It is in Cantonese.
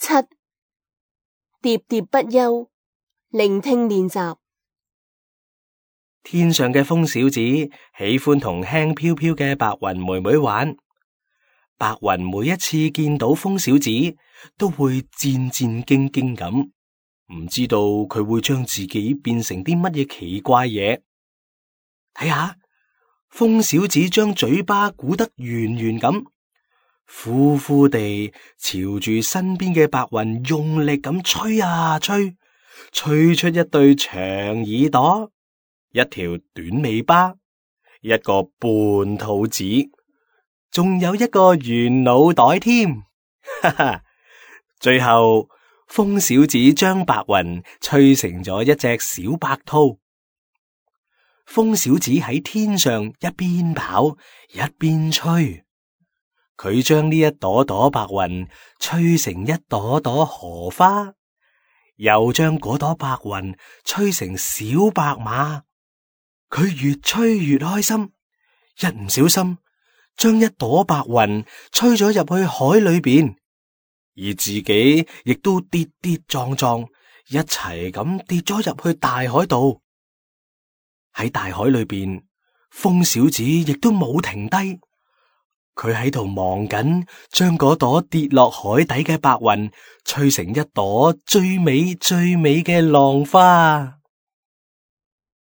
7. 喋喋不休，聆聽練習。天上嘅風小子喜歡同輕飄飄嘅白雲妹妹玩。白雲每一次見到風小子，都會戰戰兢兢咁，唔知道佢會將自己變成啲乜嘢奇怪嘢。睇下，風小子將嘴巴鼓得圓圓咁，呼呼地朝住身邊嘅白雲用力咁吹啊吹，吹出一對長耳朵，一條短尾巴，一個半肚子，仲有一個圓腦袋添。哈哈！最後，風小子將白雲吹成咗一隻小白兔。風小子喺天上一邊跑一邊吹，佢將呢一朵朵白雲吹成一朵朵荷花，又將嗰朵白雲吹成小白馬。佢越吹越開心，一唔小心將一朵白雲吹咗入去海裏邊，而自己亦都跌跌撞撞，一齊咁跌咗入去大海度。喺大海裏邊，風小子亦都冇停低，佢喺度忙緊，將嗰朵跌落海底嘅白雲吹成一朵最美最美嘅浪花。